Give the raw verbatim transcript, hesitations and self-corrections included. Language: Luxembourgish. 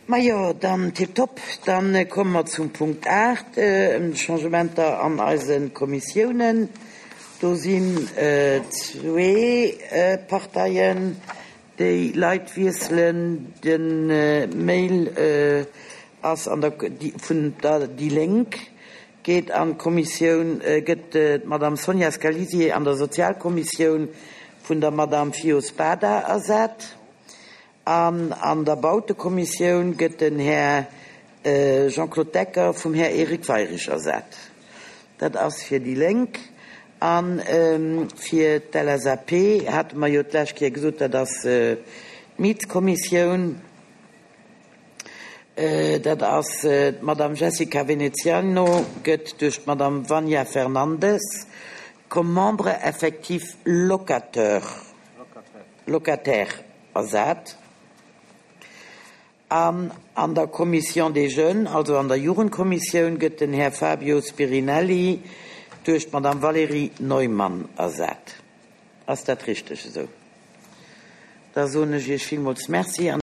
Majo, dann tipptopp. Dann komme mer zum Punkt aacht, ëm d'Changementer an eise Kommissiounen. Do sinn zwee Parteien, déi Leit wiesselen. De Mail ass an der vun der déi Lénk geet an d'Kommissioun, gëtt d'Madame Sonja Scalisi an der Sozialkommissioun vun der Madame Fio Spada ersat. An an der Bautekommissioun gëtt den Här Jean-Claude Decker vum Här Eric Weirich ersat. Dat ass fir déi Lénk. A fir d'L S A P hate mer jo d'lescht Kéier gesot, dat ass d'Mietskommissioun. Dat ass d'Madame Jessica Veneziano gëtt duerch d'Madame Vania Fernandes comme membre effectif locateur locataire ersat. An an der Commission des Jeunes, also an der Jugendkommissioun, gëtt den Här Fabio Spirinelli duerch d'Madame Valérie Neumann ersat. Ass dat richteg esou? Da soen ech Iech villmools Merci.